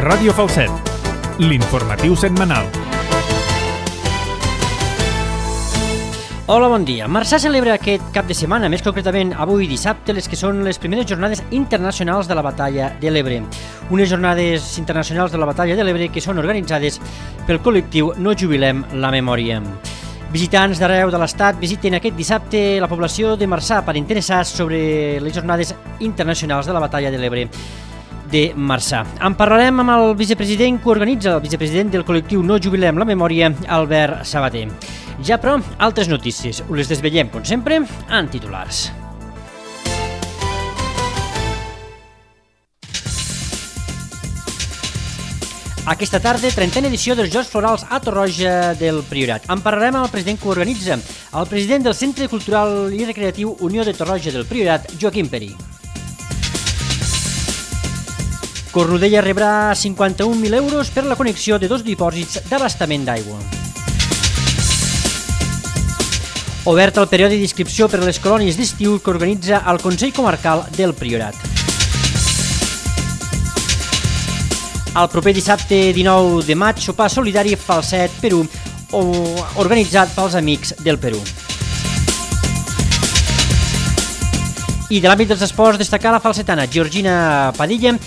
Ràdio Falset, l'informatiu setmanal. Hola, bon dia. Marçà celebra aquest cap de setmana, més concretament avui dissabte, les que són les primeres jornades internacionals de la Batalla de l'Ebre. Unes jornades internacionals de la Batalla de l'Ebre que són organitzades pel col·lectiu No Jubilem la Memòria. Visitants d'arreu de l'Estat visiten aquest dissabte la població de Marçà per interessar-se sobre les jornades internacionals de la Batalla de l'Ebre de Marçà. En parlarem amb el vicepresident que organitza, el vicepresident del col·lectiu No Jubilem la Memòria, Albert Sabater. Ja, però, altres notícies. Us les desvetllem, com sempre, en titulars. Aquesta tarda, 30a edició dels Jocs Florals a Torroja del Priorat. En parlarem amb el president que ho organitza, el president del Centre Cultural i Recreatiu Unió de Torroja del Priorat, Joaquim Perí. Cornudella rebrà 51.000 euros per la connexió de 2 dipòsits d'abastament d'aigua. Obert el període d'inscripció per a les colònies d'estiu que organitza el Consell Comarcal del Priorat. El proper dissabte 19 de maig, sopar solidari Falset Perú, organitzat pels Amics del Perú. I de l'àmbit dels esports, destacar la falsetana Georgina Padilla,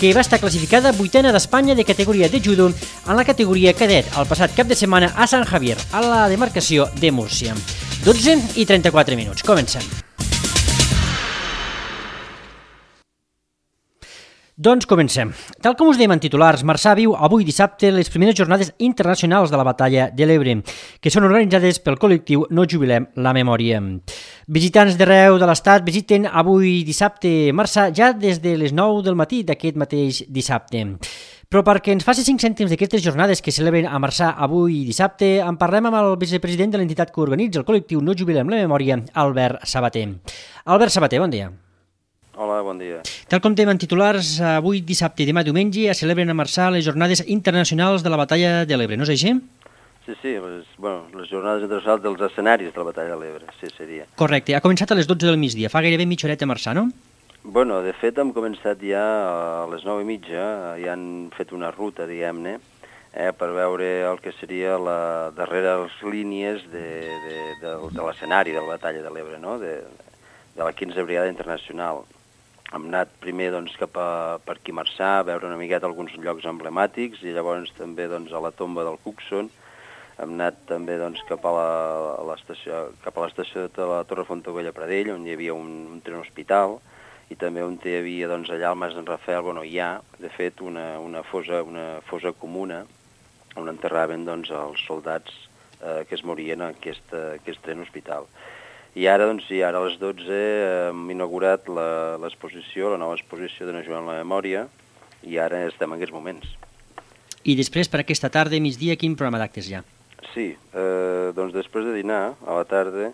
que va estar classificada 8a d'Espanya de categoria de judo en la categoria cadet el passat cap de setmana a Sant Javier, a la demarcació de Múrcia. 12:34 minuts. Comencem. Doncs comencem. Tal com us dèiem en titulars, Marçà viu avui dissabte les primeres jornades internacionals de la Batalla de l'Ebre, que són organitzades pel col·lectiu No Jubilem la Memòria. Visitants d'arreu de l'Estat visiten avui dissabte Marçà ja des de les 9 del matí d'aquest mateix dissabte. Però perquè ens faci 5 cèntims d'aquestes jornades que celebren a Marçà avui dissabte, en parlem amb el vicepresident de l'entitat que organitza el col·lectiu No Jubilem la Memòria, Albert Sabater. Albert Sabater, bon dia. Hola, bon dia. Tal com dèiem en titulars, avui dissabte i demà diumenge es celebren a Marçà les jornades internacionals de la Batalla de l'Ebre, no és així? Sí, les jornades internacionals dels escenaris de la Batalla de l'Ebre, sí, seria. Correcte, ha començat a les 12 del migdia, fa gairebé mitja horeta a Marçà, no? Bueno, de fet hem començat ja a les 9:30, ja han fet una ruta, diguem-ne, per veure el que seria la darrera línies de l'escenari de la Batalla de l'Ebre, no? De la 15a Brigada Internacional. Hem anat primer per aquí a Marçà, a veure una miqueta alguns llocs emblemàtics i llavors també a la tomba del Cuxon. Hem anat també cap a l'estació de la Torre Fontaubella Pradell, on hi havia un tren hospital, i també on hi havia allà al Mas d'en Rafael, hi ha, de fet, una fosa comuna on enterraven els soldats que es morien en aquest tren hospital. I ara, a les 12 hem inaugurat l'exposició, la nova exposició de No Jubilem la Memòria, i ara estem en aquests moments. I després, per aquesta tarda, migdia, quin programa d'actes hi ha? Sí, després de dinar, a la tarda,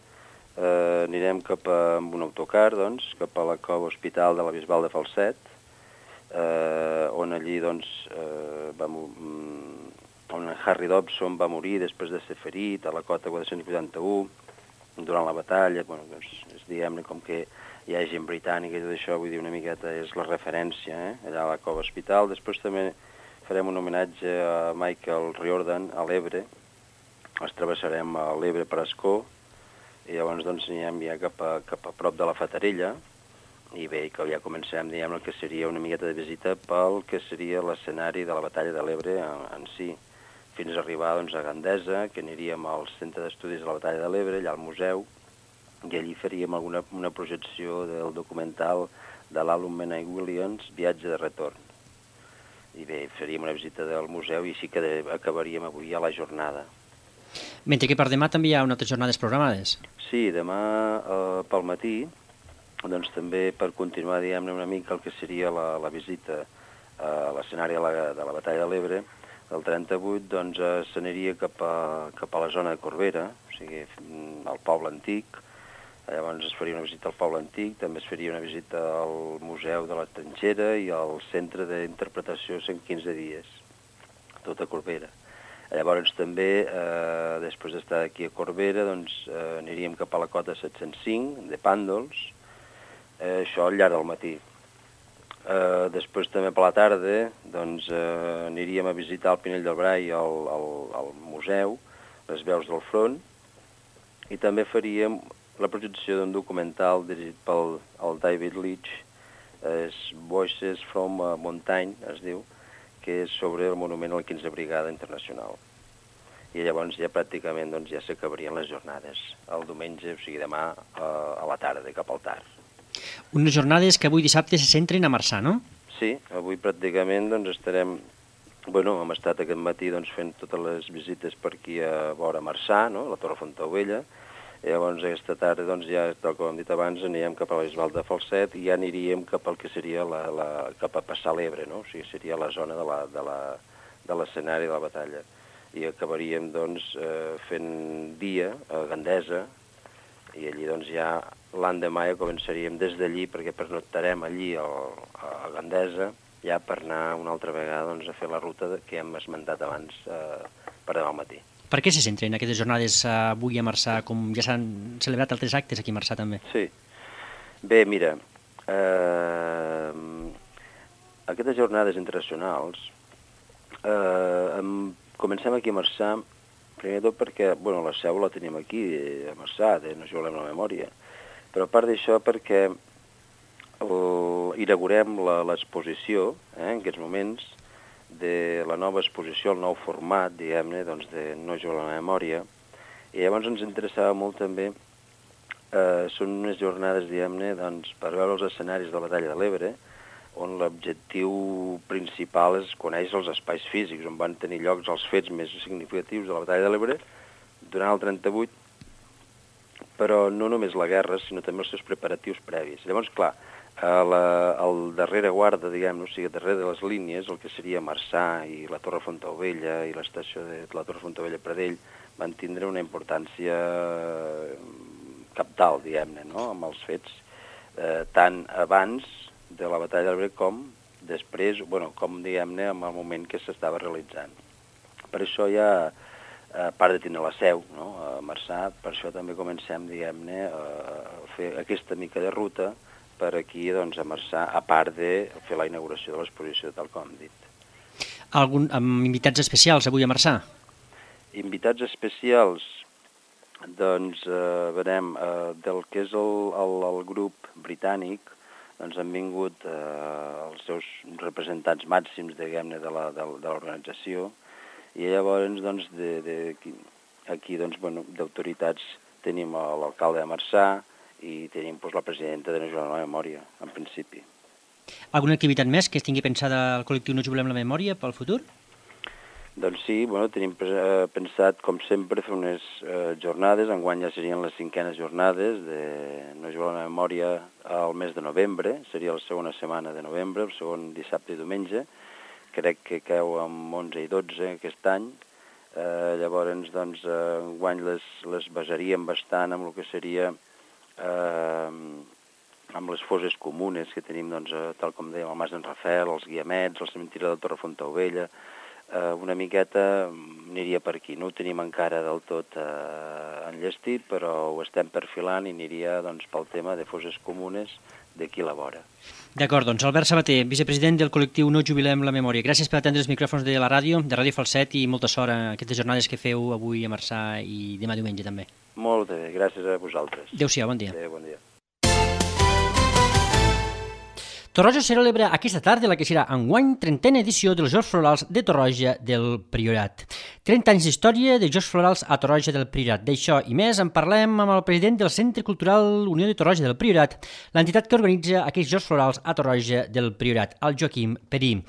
anirem amb un autocar, cap a la cova hospital de la Bisbal de Falset, on allí, on Harry Dobson va morir després de ser ferit a la cota 481, durant la batalla, diguem-ne com que hi ha gent britànica i tot això, vull dir una miqueta és la referència, allà a la cova hospital. Després també farem un homenatge a Michael Riordan a l'Ebre, ens travessarem a l'Ebre per Ascó, i llavors anirem ja cap a prop de la Fatarella, i bé, que ja comencem, diguem, el que seria una miqueta de visita pel que seria l'escenari de la Batalla de l'Ebre en si, fins a arribar a Gandesa, que aniríem al Centre d'Estudis de la Batalla de l'Ebre, allà al museu, i allí faríem una projecció del documental de l'Alum Menai Williams, Viatge de retorn. I bé, faríem una visita del museu i així que acabaríem avui a la jornada. Mentre que per demà també hi ha unes altres jornades programades. Sí, demà pel matí, també per continuar, diguem-ne, una mica el que seria la visita a l'escenari de la Batalla de l'Ebre, el 38 s'aniria cap a la zona de Corbera, o sigui, al poble antic. Llavors es faria una visita al poble antic, també es faria una visita al Museu de la Trinxera i al Centre d'Interpretació 115 dies, tot a Corbera. Llavors també, després d'estar aquí a Corbera, aniríem cap a la cota 705 de Pàndols, això al llarg del matí. Després també per la tarda doncs, aniríem a visitar el Pinell del Brai al museu, les veus del front, i també faríem la projecció d'un documental dirigit pel David Leitch, Voices from a Mountain, es diu, que és sobre el monument a la 15a Brigada Internacional. I llavors ja pràcticament doncs, ja s'acabarien les jornades el diumenge, o sigui demà a la tarda, cap al tard. Unes jornades que avui dissabte se centren a Marçà, no? Sí, avui pràcticament doncs, estarem... Bueno, hem estat aquest matí doncs, fent totes les visites per aquí a vora Marçà, no? La Torre Fontaubella. I llavors aquesta tarda, doncs, ja, tal com hem dit abans, anirem cap a la Bisbal de Falset i ja aniríem cap al que seria cap a passar l'Ebre, no? O sigui, seria la zona de l'escenari de la batalla. I acabaríem doncs, fent dia a Gandesa i allí doncs, ja l'endemà ja començaríem des d'allí perquè pernoctarem allí a Gandesa ja per anar una altra vegada doncs, a fer la ruta que hem esmentat abans per demà al matí. Per què se centren aquestes jornades avui a Marçà, com ja s'han celebrat altres actes aquí a Marçà també? Sí. Bé, mira, aquestes jornades internacionals comencem aquí a Marçà, primer tot perquè bueno, la seu la tenim aquí, a Marçà, no juguem la memòria, però a part d'això perquè inaugurem l'exposició, en aquests moments, de la nova exposició, el nou format, diguem-ne, doncs, de No jugar la memòria, i llavors ens interessava molt també, són unes jornades, diguem-ne, doncs, per veure els escenaris de la batalla de l'Ebre, on l'objectiu principal és conèixer els espais físics, on van tenir llocs els fets més significatius de la batalla de l'Ebre durant el 38, però no només la guerra, sinó també els seus preparatius previs. Llavors, clar, al darrere guarda, diguem-ne, o sigui, darrere de les línies, el que seria Marçà i la Torre Fontaubella i l'estació de la Torre Fontaubella-Pradell van tindre una importància cabdal, diguem-ne, no?, amb els fets, tant abans de la batalla de l'Ebre com després, bueno, com diguem-ne, en el moment que s'estava realitzant. Per això ja, a part de tenir la seu, no?, a Marçà, per això també comencem, diguem-ne, a fer aquesta mica de ruta per aquí, doncs, a Marçà, a part de fer la inauguració de l'exposició, tal com hem dit. Amb invitats especials avui a Marçà? Invitats especials, doncs, veurem, del que és el grup britànic, doncs han vingut els seus representants màxims, diguem-ne, de l'organització, i llavors, doncs, aquí, doncs, bueno, d'autoritats tenim l'alcalde de Marçà i tenim doncs, la presidenta de No jugar la memòria, en principi. Alguna activitat més que es tingui pensada al col·lectiu No juguem la memòria pel futur? Doncs sí, bueno, tenim pensat, com sempre, fer unes jornades, enguany ja serien les 5enes jornades de No jugar la memòria al mes de novembre, seria la segona setmana de novembre, el segon dissabte i diumenge, crec que cau amb 11 i 12 aquest any, llavors, doncs, enguany les basaríem bastant amb el que seria amb les fosses comunes que tenim, doncs, tal com dèiem, el Mas d'en Rafel, els Guiamets, el cementiri de la Torre Fontaubella, una miqueta aniria per aquí. No ho tenim encara del tot enllestit, però ho estem perfilant i aniria doncs, pel tema de fosses comunes d'aquí a la vora. D'acord, doncs Albert Sabater, vicepresident del col·lectiu No jubilem la memòria. Gràcies per atendre els micròfons de la ràdio, de Ràdio Falset, i molta sort en aquestes jornades que feu avui a Marçà i demà diumenge també. Molt bé, gràcies a vosaltres. Adéu-siau, bon dia. Adéu, bon dia. Torroja celebra aquesta tarda la que serà enguany 30a edició dels Jocs Florals de Torroja del Priorat. 30 anys d'història de Jocs Florals a Torroja del Priorat. D'això i més en parlem amb el president del Centre Cultural Unió de Torroja del Priorat, l'entitat que organitza aquests Jocs Florals a Torroja del Priorat, el Joaquim Perí.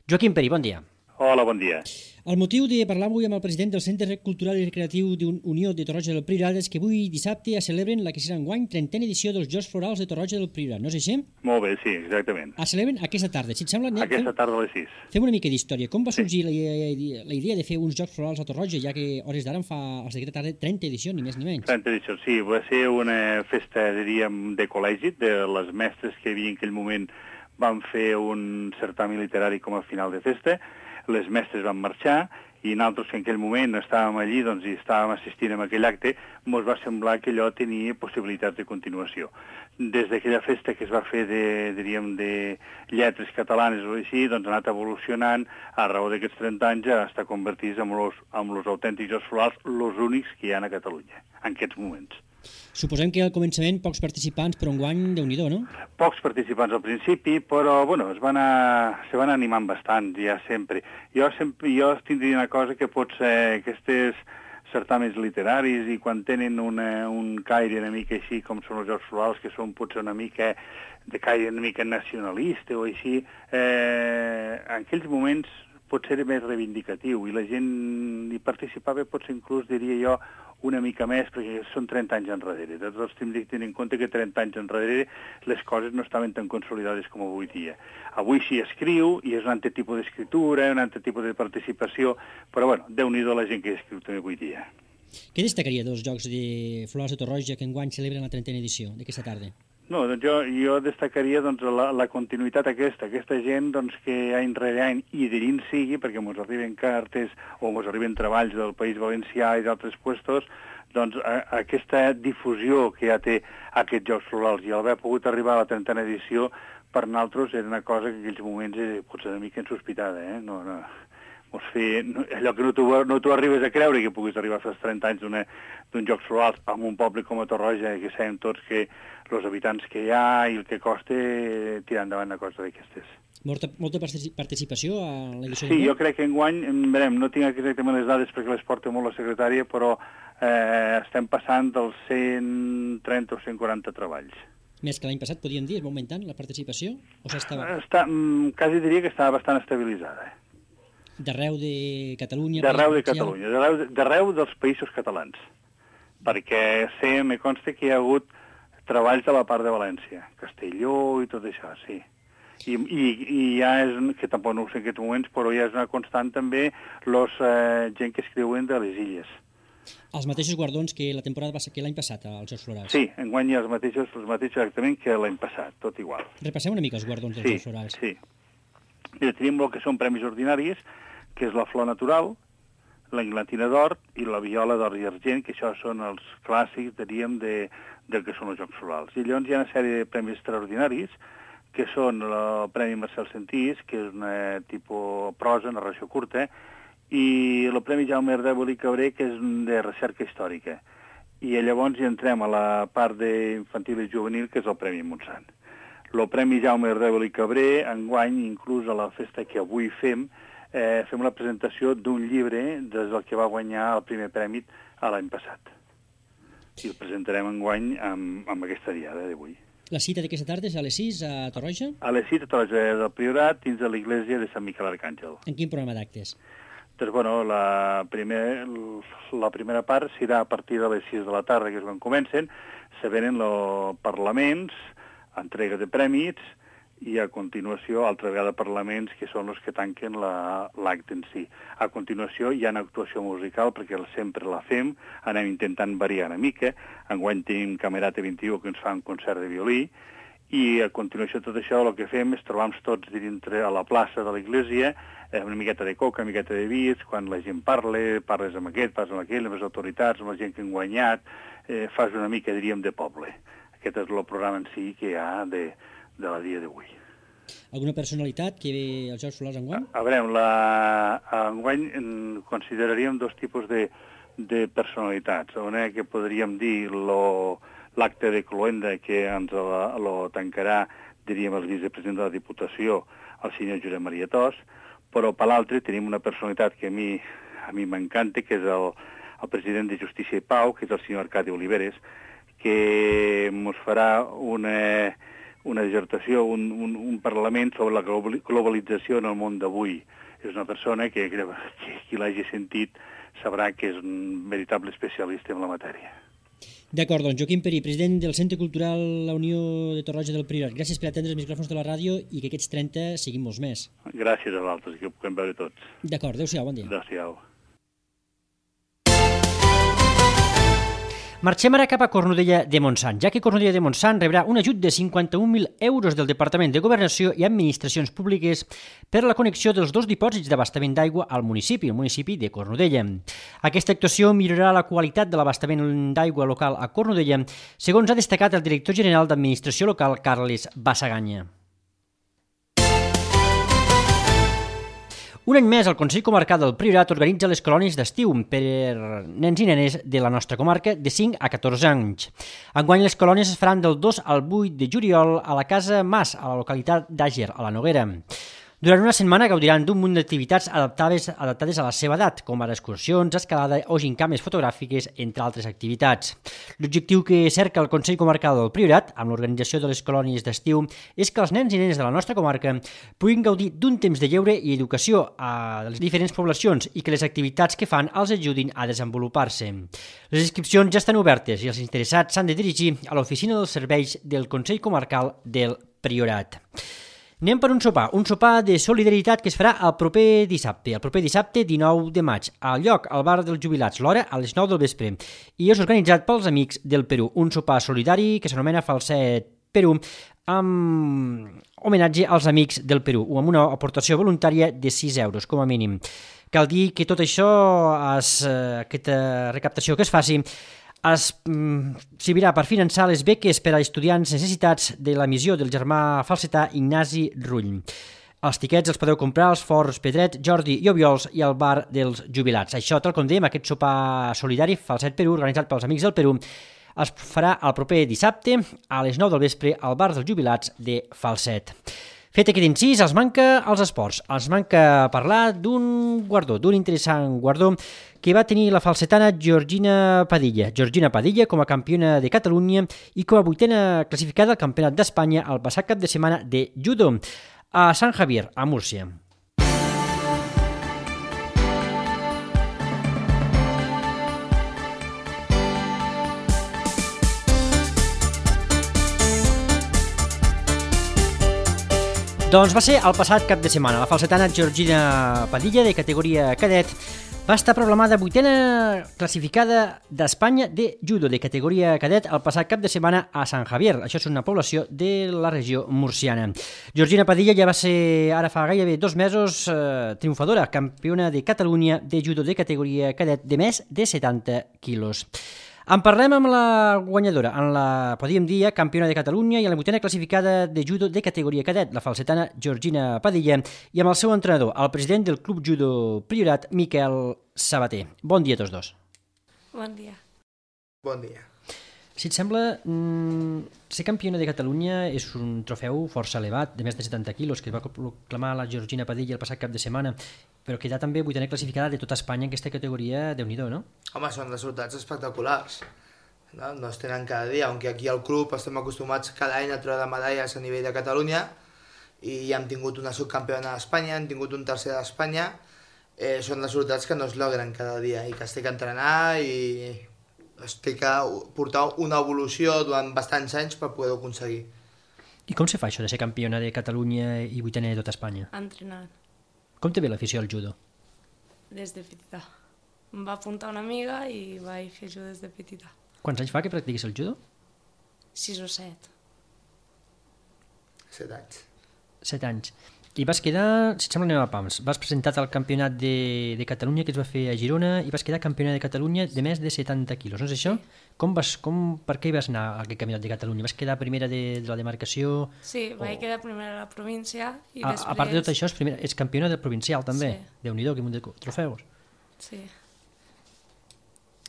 Joaquim Perí, bon dia. Hola, bon dia. El motiu de parlar avui amb el president del Centre Cultural i Recreatiu d'Unió de Torroja del Priorat és que avui dissabte es celebren la que serà enguany 30a edició dels Jocs Florals de Torroja del Priorat, no és així? Molt bé, sí, exactament. Es celebren aquesta tarda, si et sembla... Aquesta tarda a les 6. Fem una mica d'història. Com va sorgir la idea de fer uns Jocs Florals a Torroja, ja que hores d'ara en fa aquesta tarda 30 edicions, ni més ni menys? 30 edicions, sí. Va ser una festa, diríem, de col·legi, de les mestres que hi havia en aquell moment van fer un certamen literari com a final de festa. Les mestres van marxar i nosaltres que en aquell moment estàvem allí i estàvem assistint a aquell acte, ens va semblar que allò tenia possibilitats de continuació. Des d'aquella festa que es va fer de lletres catalanes o així, ha anat evolucionant a raó d'aquests 30 anys hasta convertir-se en els autèntics Jocs Florals, els únics que hi ha a Catalunya en aquests moments. Suposem que al començament pocs participants, però enguany Déu-n'hi-do, no? Pocs participants al principi, però se van animant bastant, ja sempre. Jo tindria una cosa que pot ser aquestes certàmens literaris i quan tenen un caire una mica així com són els Jocs Florals, que són potser una mica de caire una mica nacionalista o així, en aquells moments pot ser més reivindicatiu i la gent hi participava potser inclús, diria jo, una mica més, perquè són 30 anys enrere. Tots hem de tenir en compte que 30 anys enrere les coses no estaven tan consolidades com avui dia. Avui s'hi escriu i és un altre tipus d'escriptura, un altre tipus de participació, però bueno, Déu-n'hi-do la gent que escriu també avui dia. Què destacaria dels Jocs de Florals de Torroja que enguany celebren la 30a edició d'aquesta tarda? No, doncs jo destacaria la continuïtat aquesta gent que any rere any i de dins sigui, perquè ens arriben cartes o ens arriben treballs del País Valencià i d'altres puestos, doncs aquesta difusió que ja té aquests Jocs Florals i haver pogut arribar a la 30a edició per nosaltres era una cosa que en aquells moments pot ser una mica insospitada, No, allò que no t'ho arribes a creure que puguis arribar a fer els 30 anys d'un Jocs Florals en un poble com a Torroja, que sabem tots que els habitants que hi ha i el que costa tirar endavant una cosa d'aquestes. Molta participació a l'edició? Sí, jo crec que enguany, no tinc exactament les dades perquè les porta molt la secretària, però estem passant dels 130 o 140 treballs. Més que l'any passat, podríem dir, va augmentant la participació? O quasi diria que estava bastant estabilitzada. D'arreu de Catalunya? D'arreu de Catalunya, d'arreu dels països catalans, perquè me consta que hi ha hagut treballs de la part de València, Castelló i tot això, sí. I ja és, que tampoc no ho sé en aquests moments, però ja és una constant també gent que escriuen de les illes. Els mateixos guardons que la temporada que l'any passat als Jocs Florals? Sí, enguany hi ha els mateixos exactament que l'any passat, tot igual. Repassem una mica els guardons dels Jocs Florals. Sí. Mira, tenim el que són premis ordinaris, que és la flor natural, la inglatina d'or i la viola d'or i argent, que això són els clàssics, diríem, del que són els Jocs Florals. I llavors hi ha una sèrie de premis extraordinaris, que són el Premi Marcel Sentís, que és una tipus prosa, narració curta, i el Premi Jaume Ardèvol i Cabré, que és de recerca històrica. I llavors hi entrem a la part d'infantil i juvenil, que és el Premi Montsant. El Premi Jaume Ardèvol i Cabré, enguany, inclús a la festa que avui fem la presentació d'un llibre des del que va guanyar el primer premi l'any passat. I el presentarem enguany amb aquesta diada d'avui. La cita d'aquesta tarda és a les 6 a Torroja? A les 6 a Torroja del Priorat, dins de l'església de Sant Miquel Arcàngel. En quin programa d'actes? Doncs, la primera part serà a partir de les 6 de la tarda, que és quan comencen, se venen els parlaments, entrega de prèmits, i a continuació, altra vegada parlaments, que són els que tanquen l'acte en si. A continuació hi ha una actuació musical, perquè sempre la fem, anem intentant variar una mica. Enguany tenim Camerata 21, que ens fa un concert de violí, i a continuació tot això el que fem és trobar-nos tots dintre a la plaça de l'església, una miqueta de coca, una miqueta de vins, quan la gent parles amb aquest, parles amb aquell, amb les autoritats, amb la gent que han guanyat, fas una mica, diríem, de poble. Aquest és el programa en si que hi ha de la dia d'avui. Alguna personalitat que ve als Jocs Florals enguany? A veure, enguany consideraríem dos tipus de personalitats. Una que podríem dir l'acte de cloenda, que ens lo tancarà, diríem, el vicepresident de la Diputació, el senyor Josep Maria Tos, però per l'altre tenim una personalitat que a mi m'encanta, que és el president de Justícia i Pau, que és el senyor Arcadi Oliveres, que ens farà una dissertació, un parlament sobre la globalització en el món d'avui. És una persona que qui l'hagi sentit sabrà que és un veritable especialista en la matèria. D'acord, doncs Joaquim Perí, president del Centre Cultural La Unió de Torroja del Priorat. Gràcies per atendre els micròfons de la ràdio i que aquests 30 siguin molts més. Gràcies a vosaltres, que ho puguem veure tots. D'acord, adéu-siau, bon dia. Adéu-siau. Marxem ara cap a Cornudella de Montsant, ja que Cornudella de Montsant rebrà un ajut de 51.000 euros del Departament de Governació i Administracions Públiques per la connexió dels 2 dipòsits d'abastament d'aigua al municipi, el municipi de Cornudella. Aquesta actuació millorarà la qualitat de l'abastament d'aigua local a Cornudella, segons ha destacat el director general d'Administració Local, Carles Bassaganya. Un any més, el Consell Comarcal del Priorat organitza les colònies d'estiu per nens i nenes de la nostra comarca de 5 a 14 anys. Enguany, les colònies es faran del 2 al 8 de juliol a la Casa Mas, a la localitat d'Àger, a la Noguera. Durant una setmana gaudiran d'un munt d'activitats adaptades a la seva edat, com ara excursions, escalada o gincames fotogràfiques, entre altres activitats. L'objectiu que cerca el Consell Comarcal del Priorat, amb l'organització de les colònies d'estiu, és que els nens i nenes de la nostra comarca puguin gaudir d'un temps de lleure i educació a les diferents poblacions i que les activitats que fan els ajudin a desenvolupar-se. Les inscripcions ja estan obertes i els interessats s'han de dirigir a l'oficina dels serveis del Consell Comarcal del Priorat. Anem per un sopar de solidaritat que es farà el proper dissabte 19 de maig, al lloc, al bar dels jubilats, l'hora a les 9 del vespre, i és organitzat pels Amics del Perú, un sopar solidari que s'anomena Falset Perú, amb homenatge als Amics del Perú, o amb una aportació voluntària de 6 euros, com a mínim. Cal dir que tot això, aquesta recaptació que es faci, servirà per finançar les beques per a estudiants necessitats de la missió del germà falsetà Ignasi Rull. Els tiquets els podeu comprar als Forts Pedret, Jordi i Obiols i al bar dels jubilats. Això, tal com dèiem, aquest sopar solidari Falset Perú, organitzat pels Amics del Perú, es farà el proper dissabte a les 9 del vespre al bar dels jubilats de Falset. Fet aquest incís, els manca els esports. Els manca parlar d'un guardó, d'un interessant guardó que va tenir la falsetana Georgina Padilla. Georgina Padilla com a campiona de Catalunya i com a 8a classificada al Campionat d'Espanya el passat cap de setmana de judo a Sant Javier, a Múrcia. Doncs va ser el passat cap de setmana. La falsetana Georgina Padilla, de categoria cadet, va estar proclamada 8a classificada d'Espanya de judo de categoria cadet el passat cap de setmana a Sant Javier. Això és una població de la regió murciana. Georgina Padilla ja va ser, ara fa gairebé 2 mesos, triomfadora, campiona de Catalunya de judo de categoria cadet de més de 70 quilos. En parlem amb la guanyadora, en la, podríem dir, campiona de Catalunya i en la 8a classificada de judo de categoria cadet, la falsetana Georgina Padilla, i amb el seu entrenador, el president del Club Judo Priorat, Miquel Sabater. Bon dia a tots dos. Bon dia. Bon dia. Si et sembla, ser campiona de Catalunya és un trofeu força elevat, de més de 70 quilos, que va proclamar la Georgina Padilla el passat cap de setmana, però quedar també 8a classificada de tota Espanya en aquesta categoria, Déu-n'hi-do, no? Home, són resultats espectaculars. No es tenen cada dia, aunque aquí al club estem acostumats cada any a treure medalles a nivell de Catalunya i ja hem tingut una subcampiona d'Espanya, hem tingut un tercer d'Espanya, són resultats que no es logren cada dia i que es té que entrenar i es té que portar una evolució durant bastants anys per poder-ho aconseguir. I com se fa això de ser campiona de Catalunya i 8a de tota Espanya? Entrenant. Com te ve l'afició al judo? Des de petita. Em va apuntar una amiga i vaig fer judo des de petita. Quants anys fa que practiquis el judo? 6 o 7. 7 anys. 7 anys. I vas quedar, si et sembla, anem a pams, vas presentat al campionat de Catalunya que es va fer a Girona i vas quedar campiona de Catalunya de més de 70 quilos, no és això? Per què hi vas anar a aquest campionat de Catalunya? Vas quedar primera de la demarcació? Sí, vaig quedar primera a la província i després... A part de tot això, és campiona del provincial també? Sí. Déu-n'hi-do, que munt de trofeus. Sí.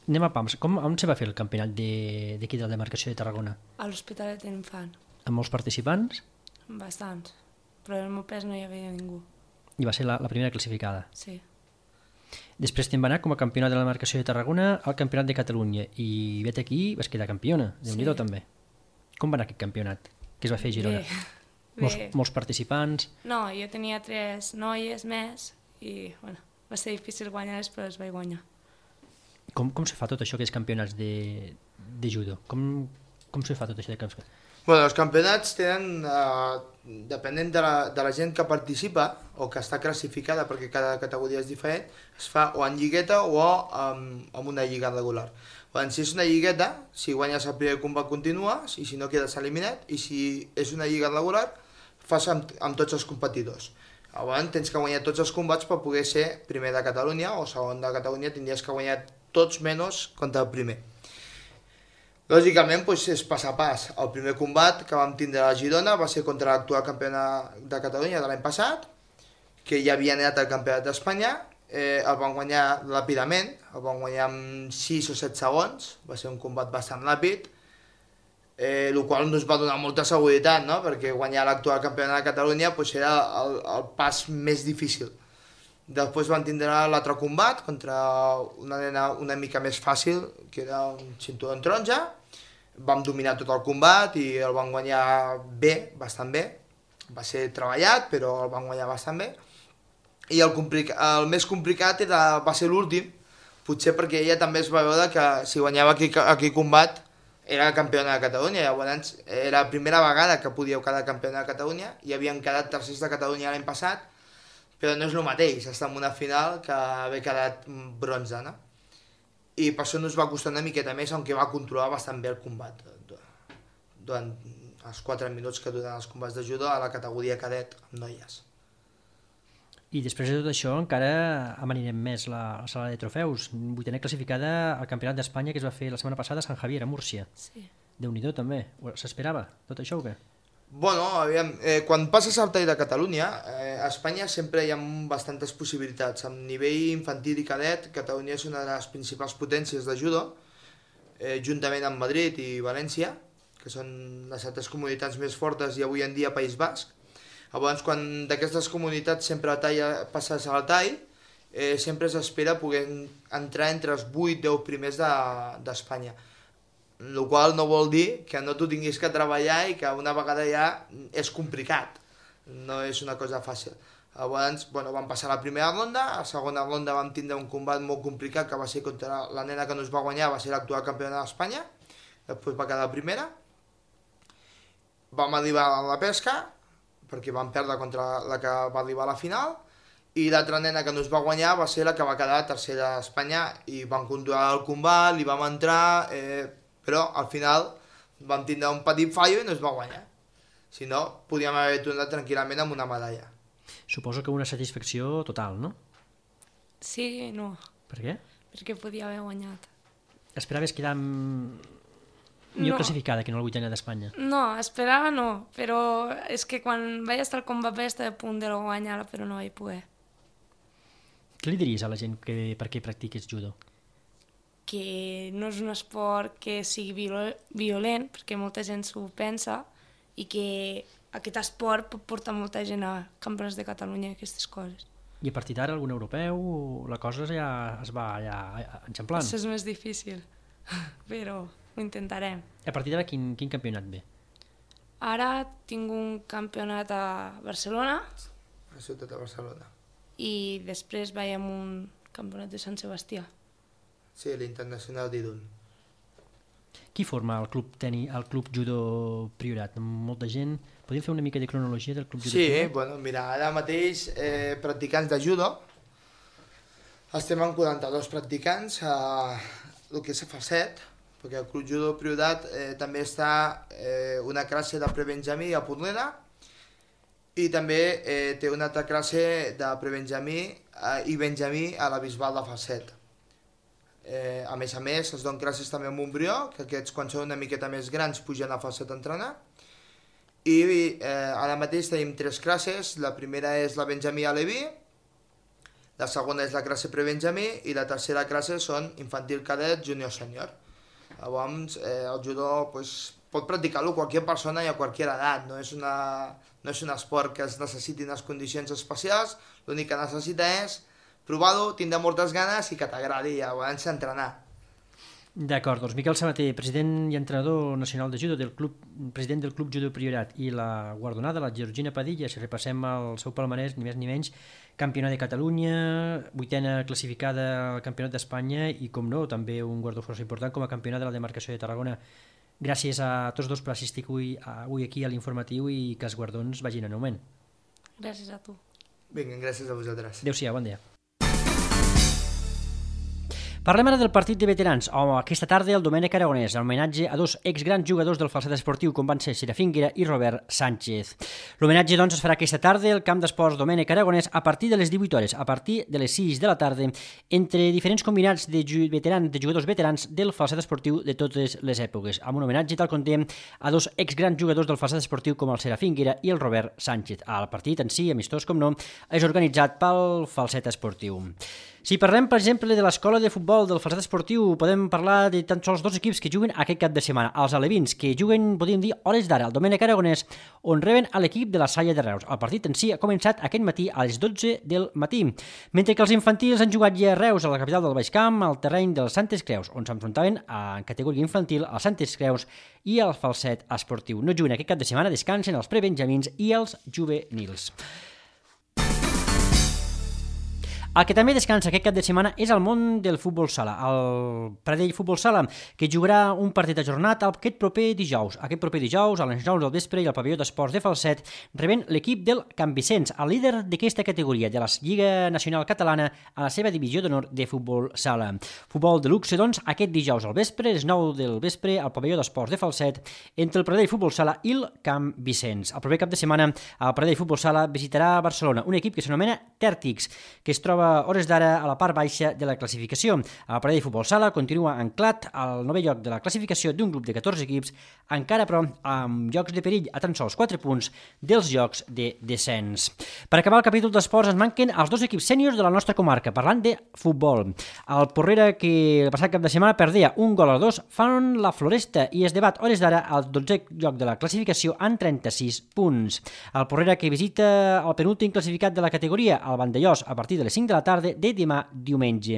Anem a pams, on se va fer el campionat d'aquí de la demarcació de Tarragona? A l'Hospitalet d'Infant. Amb molts participants? Bastants. Però al meu pes no hi havia ningú. I va ser la primera classificada. Sí. Després te'n va anar com a campionat de la demarcació de Tarragona al campionat de Catalunya i vet aquí vas quedar campiona, Déu-n'hi-do també. Com va anar aquest campionat que es va fer a Girona? Bé. Molts participants? No, jo tenia 3 noies més i bueno, va ser difícil guanyar-les però les vaig guanyar. Com se fa tot això que és campionats de judo? Com se fa tot això de campionats? Bueno, els campionats tenen, depenent de la gent que participa o que està classificada, perquè cada categoria és diferent, es fa o en lligueta o amb una lliga regular. Quan si és una lligueta, si guanyes el primer combat continues, i si no quedes eliminat, i si és una lliga regular, fas amb tots els competidors. Llavors tens que guanyar tots els combats per poder ser primer de Catalunya o segon de Catalunya, tindries que guanyar tots menys contra el primer. Lògicament és pas a pas. El primer combat que vam tindre a Girona va ser contra l'actual campiona de Catalunya de l'any passat, que ja havia anat al Campionat d'Espanya, el van guanyar ràpidament, el van guanyar en 6 o 7 segons, va ser un combat bastant ràpid, el qual ens va donar molta seguretat, no? Perquè guanyar l'actual campiona de Catalunya era el pas més difícil. Després van tindre l'altre combat contra una nena una mica més fàcil, que era un cinturó en taronja. Vam dominar tot el combat i el van guanyar bé, bastant bé. Va ser treballat, però el van guanyar bastant bé. I el més complicat va ser l'últim, potser perquè ella també es va veure que si guanyava aquell combat era campiona de Catalunya. Llavors era la primera vegada que podíeu quedar campiona de Catalunya, i havien quedat tercers de Catalunya l'any passat, però no és el mateix estar en una final que haver quedat bronze, no? I per això no ens va costar una miqueta més, aunque va controlar bastant bé el combat durant els 4 minuts que duren els combats de judo a la categoria cadet amb noies. I després de tot això encara amanirem més la sala de trofeus. 8a classificada al Campionat d'Espanya que es va fer la setmana passada a Sant Javier, a Múrcia. Sí. Déu-n'hi-do també. S'esperava tot això o què? Bueno, aviam, quan passes al tall de Catalunya, a Espanya sempre hi ha bastantes possibilitats. A nivell infantil i cadet, Catalunya és una de les principals potències de judo, juntament amb Madrid i València, que són les altres comunitats més fortes, i avui en dia País Basc. Llavors, quan d'aquestes comunitats sempre passes al tall, sempre s'espera poder entrar entre els 8-10 primers d'Espanya. El qual no vol dir que no t'ho tinguis que treballar i que una vegada ja és complicat, no és una cosa fàcil. Llavors, vam passar la primera ronda, a la segona ronda vam tindre un combat molt complicat que va ser contra la nena que no es va guanyar, va ser l'actual campiona d'Espanya, després va quedar primera. Vam arribar a la pesca, perquè vam perdre contra la que va arribar a la final, i l'altra nena que no es va guanyar va ser la que va quedar tercera d'Espanya, i vam controlar el combat, li vam entrar, però al final vam tindre un petit fallo i no es va guanyar. Si no, podíem haver tornat tranquil·lament amb una medalla. Suposo que una satisfacció total, no? Sí i no. Per què? Perquè podia haver guanyat. Esperaves quedar millor classificada que no la 8a d'Espanya? No, esperava no, però és que quan vaig estar al combat vaig estar a punt de guanyar, però no vaig poder. Què li diries a la gent que per què practiques judo? Que no és un esport que sigui violent, perquè molta gent s'ho pensa, i que aquest esport pot portar molta gent a campionats de Catalunya i aquestes coses. I a partir d'ara algun europeu la cosa ja es va enxamplant? Això és més difícil, però ho intentarem. A partir d'ara quin campionat ve? Ara tinc un campionat a Barcelona. A la ciutat de Barcelona. I després vaig amb un campionat de Sant Sebastià. Sí, l'Internacional d'Irun. Qui forma el club judo Priorat? Molta gent? Podríem fer una mica de cronologia del club judo Priorat? Sí, mira, ara mateix practicants de judo, estem en 42 practicants a el que és a Falset, perquè el club judo Priorat també està una classe de prebenjamí a Portela, i també té una altra classe de prebenjamí i benjamí a la Bisbal de Falset. A més, es donen classes també a Montbrió, que aquests quan són una miqueta més grans pugen a Falset a entrenar. I ara mateix tenim 3 classes, la primera és la Benjamí a Leví, la segona és la classe prebenjamí i la tercera classe són infantil cadet, júnior sènior. Llavors el judo pot practicar-lo qualsevol persona i a qualsevol edat, no és un esport que es necessitin unes condicions especials, l'únic que necessita és provar-ho, tindre moltes ganes i que t'agradi i abans entrenar. D'acord, doncs Miquel Sabater, president i entrenador nacional de judo president del club judo Priorat, i la guardonada, la Georgina Padilla, si repassem el seu palmarès, ni més ni menys, campionat de Catalunya, 8a classificada al campionat d'Espanya i, com no, també un guardó força important com a campionat de la demarcació de Tarragona. Gràcies a tots dos per assistir avui aquí a l'informatiu i que els guardons vagin en augment. Gràcies a tu. Vinga, gràcies a vosaltres. Adéu-siau, bon dia. Parlem ara del partit de veterans. Aquesta tarda el Domènec Aragonès, en homenatge a dos exgrans jugadors del falset esportiu com van ser Serafín Guera i Robert Sánchez. L'homenatge doncs es farà aquesta tarda al camp d'esports Domènec Aragonès a partir de les 18 hores, a partir de les 6 de la tarda, entre diferents combinats de jugadors veterans del falset esportiu de totes les èpoques, amb un homenatge, tal com dèiem, a dos exgrans jugadors del falset esportiu com el Serafín Guera i el Robert Sánchez. El partit en si, amistós com no, és organitzat pel falset esportiu. Si parlem, per exemple, de l'escola de futbol del falset esportiu, podem parlar de tan sols dos equips que juguen aquest cap de setmana. Els alevins, que juguen, podríem dir, hores d'ara, al Domènec Aragonès, on reben a l'equip de la Salle de Reus. El partit en si ha començat aquest matí a les 12 del matí, mentre que els infantils han jugat ja a Reus, a la capital del Baix Camp, al terreny dels Santes Creus, on s'enfrontaven en categoria infantil als Santes Creus i al falset esportiu. No juguen aquest cap de setmana, descansen els prebenjamins i els juvenils. El que també descansa aquest cap de setmana és el món del futbol sala, el Pradell Futbol Sala, que jugarà un partit ajornat aquest proper dijous. Aquest proper dijous, a les 9 del vespre, i al pavelló d'esports de Falset, rebent l'equip del Can Vicenç, el líder d'aquesta categoria de la Lliga Nacional Catalana a la seva divisió d'honor de futbol sala. Futbol de luxe, doncs, aquest dijous al vespre, a les 9 del vespre, al pavelló d'esports de Falset, entre el Pradell Futbol Sala i el Can Vicenç. El proper cap de setmana, el Pradell Futbol Sala visitarà Barcelona, un equip que s'anomena Tèrtics, que es troba hores d'ara a la part baixa de la classificació. El Pradell Futbol Sala continua anclat al 9è lloc de la classificació d'un grup de 14 equips, encara però amb jocs de perill a tan sols 4 punts dels jocs de descens. Per acabar el capítol d'esports ens manquen els dos equips sèniors de la nostra comarca, parlant de futbol. El Porrera, que el passat cap de setmana perdia 1-2, fan la Floresta i es debat hores d'ara al 12è lloc de la classificació amb 36 punts. El Porrera, que visita el penúltim classificat de la categoria, el Vandellós, a partir de les 5 de la tarda de demà diumenge.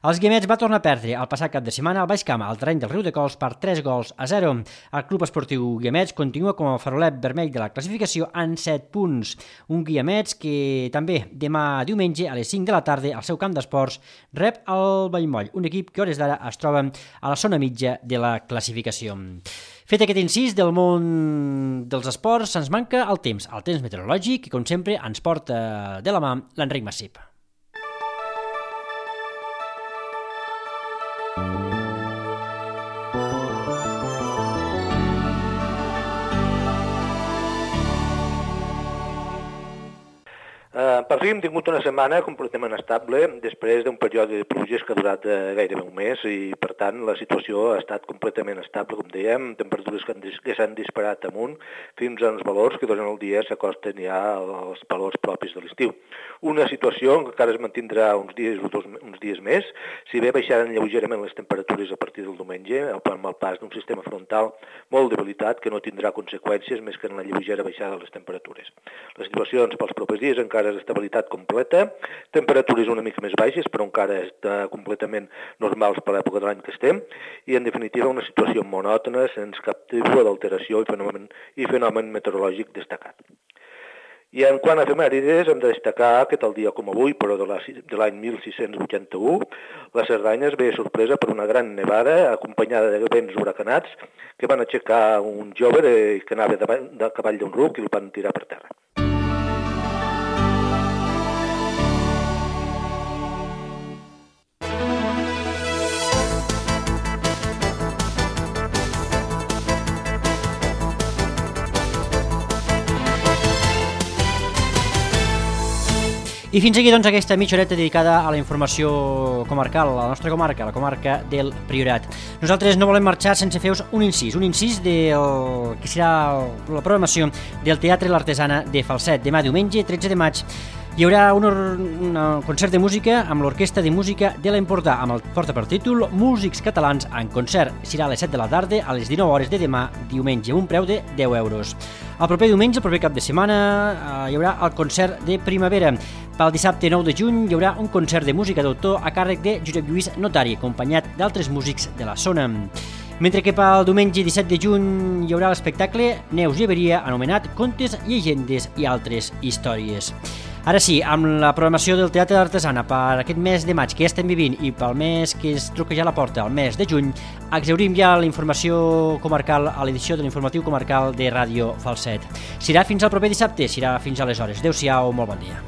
Els Guiamets va tornar a perdre el passat cap de setmana al Baix Camp, al terreny del Riudecols, per 3-0. El Club Esportiu Guiamets continua com a farolet vermell de la classificació amb 7 punts. Un Guiamets que també demà diumenge a les 5 de la tarda al seu camp d'esports rep el Vallmoll, un equip que hores d'ara es troba a la zona mitja de la classificació. Fet aquest incís del món dels esports, ens manca el temps meteorològic, i com sempre ens porta de la mà l'Enric Massip. Per fi hem tingut una setmana completament estable després d'un període de pluges que ha durat gairebé un mes, i per tant la situació ha estat completament estable, com dèiem, temperatures que s'han disparat amunt fins a uns valors que durant el dia s'acosten ja als valors propis de l'estiu. Una situació que encara es mantindrà uns dies més, si bé baixaran lleugerament les temperatures a partir del diumenge amb el pas d'un sistema frontal molt debilitat que no tindrà conseqüències més que en la lleugera baixada de les temperatures. Les situacions pels propers dies encara és estabilitat completa, temperatures una mica més baixes, però encara està completament normals per l'època de l'any que estem, i en definitiva una situació monòtona, sense cap tipus d'alteració i fenomen meteorològic destacat. I en quant a efemèrides, hem de destacar que tal dia com avui, però de l'any 1681, la Cerdanya es ve sorpresa per una gran nevada acompanyada de vents huracanats que van aixecar un jove que anava de cavall d'un ruc i el van tirar per terra. I fins aquí, doncs, aquesta mitja horeta dedicada a la informació comarcal, a la nostra comarca, a la comarca del Priorat. Nosaltres no volem marxar sense fer-vos un incís del que serà la programació del Teatre L'Artesana de Falset. Demà diumenge, 13 de maig, hi haurà un concert de música amb l'Orquestra de Música de l'Empordà, amb el porta per títol Músics Catalans en concert. Serà a les 7 de la tarda, a les 19 hores de demà diumenge, un preu de 10 euros. El proper diumenge, el proper cap de setmana, hi haurà el concert de primavera. Pel dissabte 9 de juny hi haurà un concert de música d'autor a càrrec de Josep Lluís Notari, acompanyat d'altres músics de la zona. Mentre que pel diumenge 17 de juny hi haurà l'espectacle Neus Lleberia, anomenat Contes, Llegendes i altres històries. Ara sí, amb la programació del Teatre d'Artesana per aquest mes de maig que ja estem vivint i pel mes que es truca ja a la porta, el mes de juny, exhaurim ja la informació comarcal a l'edició de l'informatiu comarcal de Ràdio Falset. Serà fins al proper dissabte, serà fins aleshores. Adéu-siau, molt bon dia.